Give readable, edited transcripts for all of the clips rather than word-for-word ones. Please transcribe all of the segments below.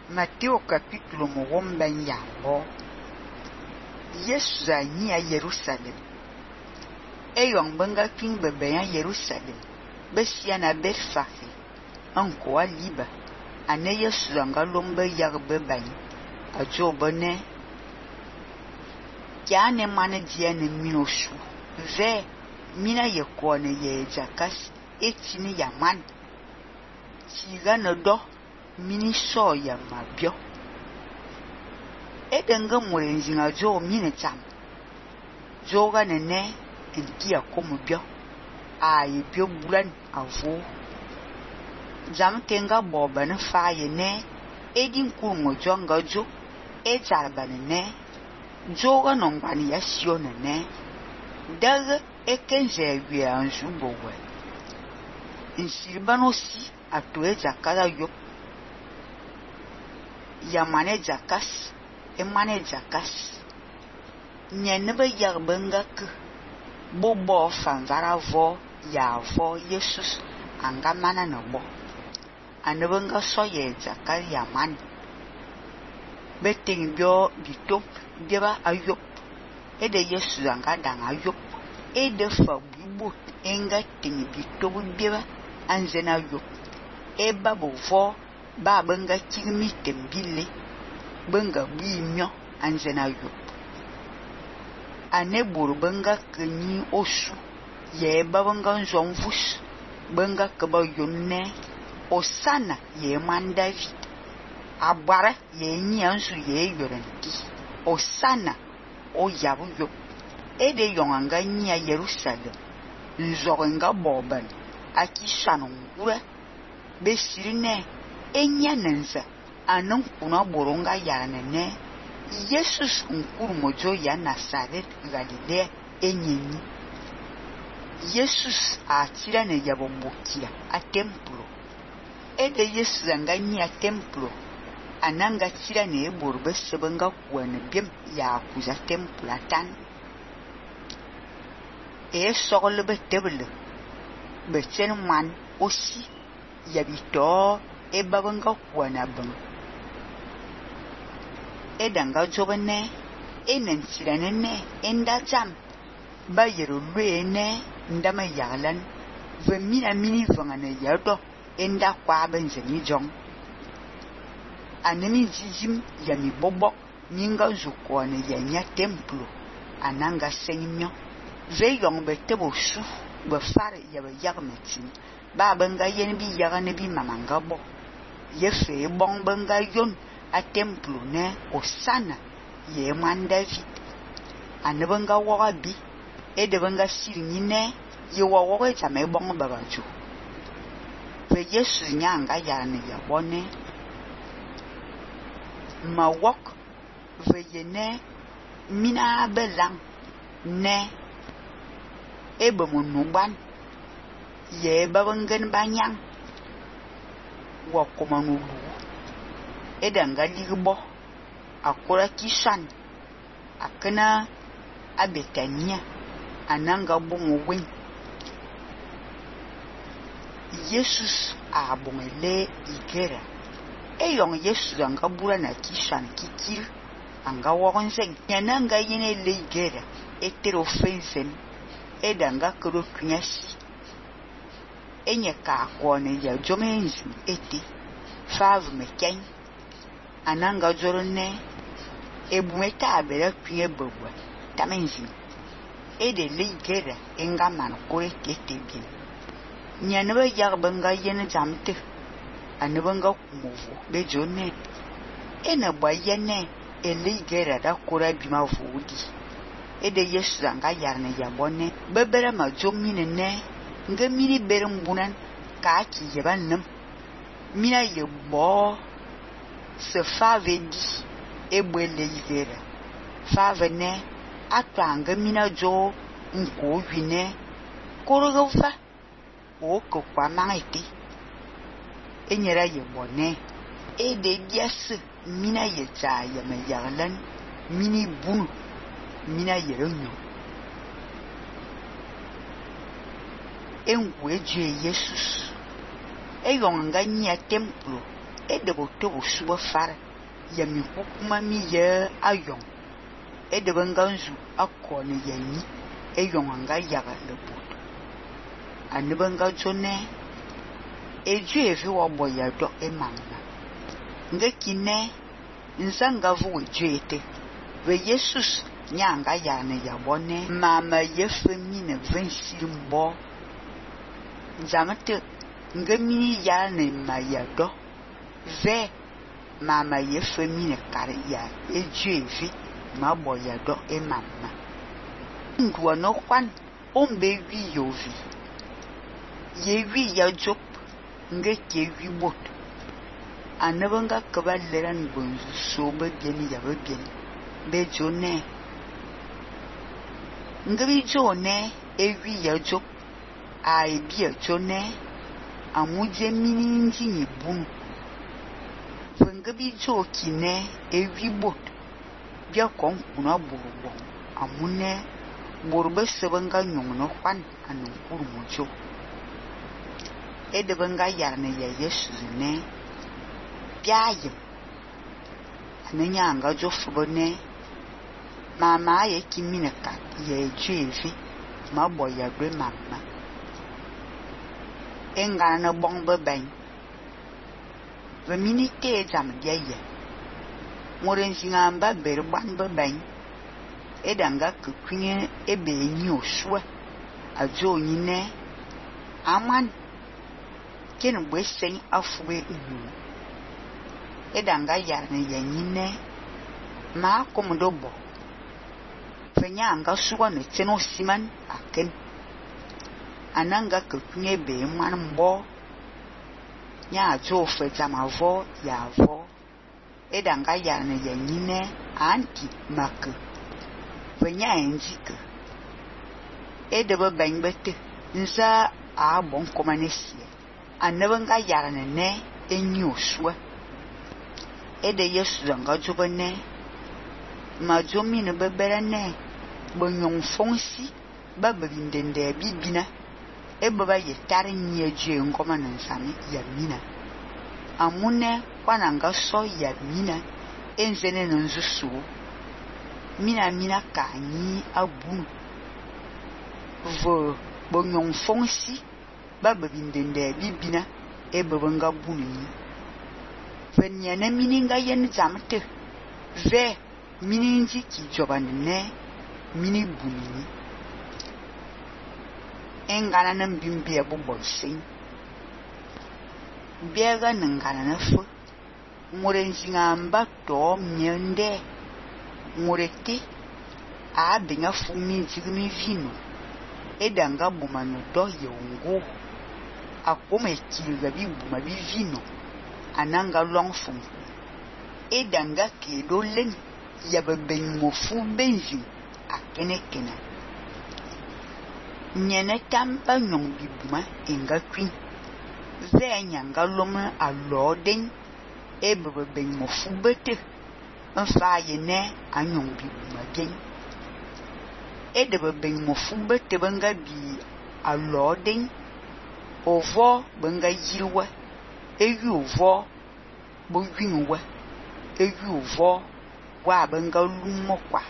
Mateo capítulo mogomba nyambo. Yesu anyi a Jerusalem. Eyong benga king bebe a Jerusalem. Besia na Betfafe. Anko a liba. Ane Yesu anga lombe yag bebany. A jobone. Kiane mane diane minosu. Ve mina ye kone ye jakas. Etini yaman. Siga no do. Mini so ya mabio. Edenga murenzinga jo mine cham. Joga nene enkia komu bio. Aye bio bulan avo. Jam tenga boba ne faye ne. Edin kurmo jonga jo. Ejarba ne. Joga nongwani ya sio ne. Daga ekenze we anju bowe. Insirban aussi atoe jakada yo. Yamane jakas, emane jakas. Nyenebe yarbengak, bobo fanvara vo, ya vo Yesus, angamana nobo. Anebenga soye jakar yaman. Beting bio bitop, bieba ayop. Ede Yesus angadang ayop. Ede fa bibut, enga ting bitop bieba, anzena ayop. Eba bovo. Ba benga chigmi tembile benga bimyo anzena yo ane bur benga kenyi osu ye ba benga nzomvus benga keba yonne osana ye man David abara ye nyi ansu ye yorenti osana o yabu yo ede yonganga nyi a Jerusalem nzorenga boban aki sanongura besirine enya nenza anan kuna boronga yarane Yesus nkurmojo ya Nazaret Galilea enyenyi Yesus atira ne yabombokia a templo ede Yesus anganyi a templo ananga tira ne borbe sebenga kuane biem ya kuza templo atan sogole betebele bechen man aussi yabito ebabanga kuana bang edanga jobene enensirane enda jam bayero luene ndama yalan vemina mini vangane yado enda kwa benzeni jong anemi jijim yami bobo minga zukwane yanya templo ananga senyimyo veyong betebo su befare yabe yagmetin ba benga yen bi yagane bi mamanga bo yefe bon benga yon a templo ne osana ye man David anebenga woga bi edebenga sirinyi ne ye woga chame bon bagaju ve Yesu nyanga yarane yabone ma wok ve yene mina belang ne ebemunu ye babengen banyang wakomanu edanga ligbo akora kishan akena abetania ananga bongo wen Yesus abongele igera eyong Yesus anga bura na kishan kikir anga wogonzen yananga yene le igera eterofensen edanga kero kunyasi enye ka kone ya jomenzi eti fav meken ananga jorone ebumeta abere kwenye bogwa tamenzi ede ligera enga man kore ketebin nyanebe yagbenga yene jamte anebenga kumuvu bejone ene bayene eligera da kora bima vudi ede Yesu anga yarne yabone bebere ma jomine ne nga mini berem bunan ka ki yebanam mina yebo se fave di ebwele yigera fave ne atanga mina jo nko wine korogofa o ko kwa mangiti enyera yebone ede dias mina yecha yeme yarlan mini bunu mina yeronyo engwe je Yesus eyong nga nyia templo e de boto bosuba fara ya mi kukuma mi ye ayong e de banganzu akone ya ni e yonganga yaga le boto anibanga jone e ju evi wa boya do e manga nga kine nzanga vu jete we Jesus nyanga yana ya bone mama ye femine vensi mbo zamate nga mini yana ma ya do ve mama ye femine kare ya e ju evi ma boya do e mama ndwa no kwan ombe wi yovi ye wi ya jop nga ke wi bot anabanga kabaleran bonzu so ba bien ya ba bien be jone nga bi jone e wi ya jop ai bi jone amuje mini nji ni bunu nga bi jo kine e wi bot bia kon kuna burbo amune burbe sebanga nyongno kwan anu kurmujo e de banga yarne ya Yesu ne biaye ananya jo fubone mama ye kimine ka ye jevi ma boya gbe mama enga na bombe ben we minite jam ye moren singamba berban be ben edanga kukunye ebe nyi osua ajo nyine aman ken bwesen afwe ihu edanga yarne yanyine ma komodo bo fenya anga suwa ne teno siman aken ananga kukunye be man mbo nya ajo fe jamavo yavo edanga yarne yanyine anti mak fenya enjike edebe bengbete nza a bon komanesi anabanga yarne ne enyi osua ede Yesu zanga jobane ma jomi ne bebere ne bonyon fonsi babindende bibina ebaba yetare nyi eje ngoma nansami ya mina amune kwananga so ya mina enzene nzusu mina kanyi abu vo bonyon fonsi babindende bibina ebabanga bunni fenya mininga yen zamte ve mininji ki jobanne mini bunni engana nan bimbe bobo sin biega nangana na fu murenzinga mbato myende mureti a binga fumi jigmi vino edanga bumano do yongo akome kilga bi buma bi vino ananga longfum edanga kedo len ya beben mofu benzi akenekena nyene tamba nyong bi buma enga kwin ve nyanga loma aloden ebeben mofu bete mfa yene anyong bi buma gen edebeben mofu bete banga bi aloden ovo banga yirwa eyu ovo bo winwa eyu ovo wa banga lumokwa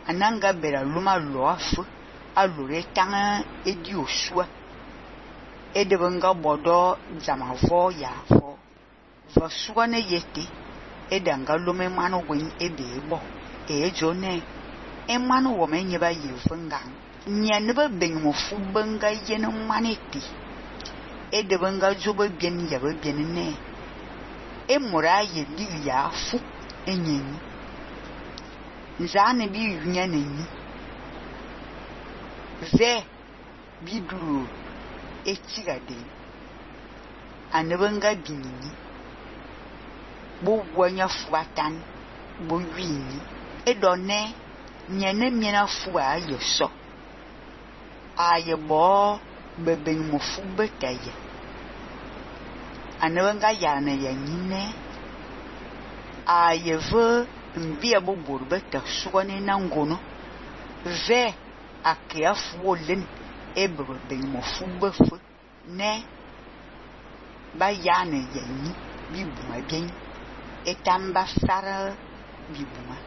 ananga bera luma loafu alure tanga edi osua ede banga bodo jamavo yavo vasua ne yete edanga lume manu wen ebebo ejone emanu wo menye ba yevanga nyane ba benmo fu banga yene maneti ede banga joba bien ya ba bien ne emura ye di ya fu enyen nzane bi yunya neni ve biduru etigade anebanga binini bo gwanya fuatan bo wini edone nyane miena fu aye so aye bo beben mo fu betaye anebanga yana ya nyine aye ve mbia bo borbeta suwane nangono ve akia fu len ebeben mo fu befu ne ba yana ya ni bibuma bien etamba fara bibuma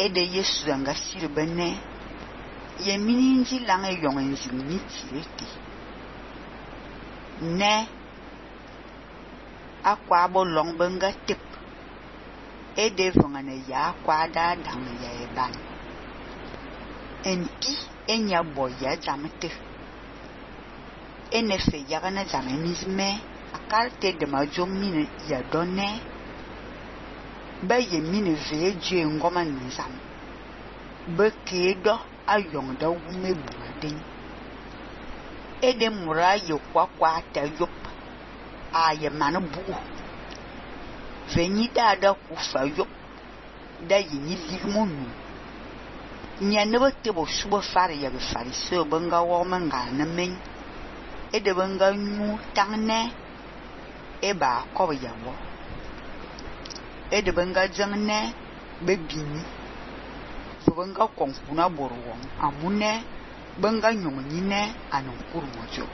ede Yesu anga sirbene ye mininji lang e yong nzini tirete ne akwa bolong benga tip ede vongane ya kwa da dang ya eban enti enya boya zamete enefe yagana zamenizme akarte de majomine ya donne ba ye mine ve je ngoma nzam ba kedo ayong da wume buadin ede mura ye kwa ta yop aye manabu veni da kufa yop da yini ligmonu nya ne bote bo subo fare ya be fare so banga wo manga na men ede banga nyu tangne e ba ko ya wo ede banga jangne be bini so banga konkuna borwo amune banga nyonyi ne anon kurmojo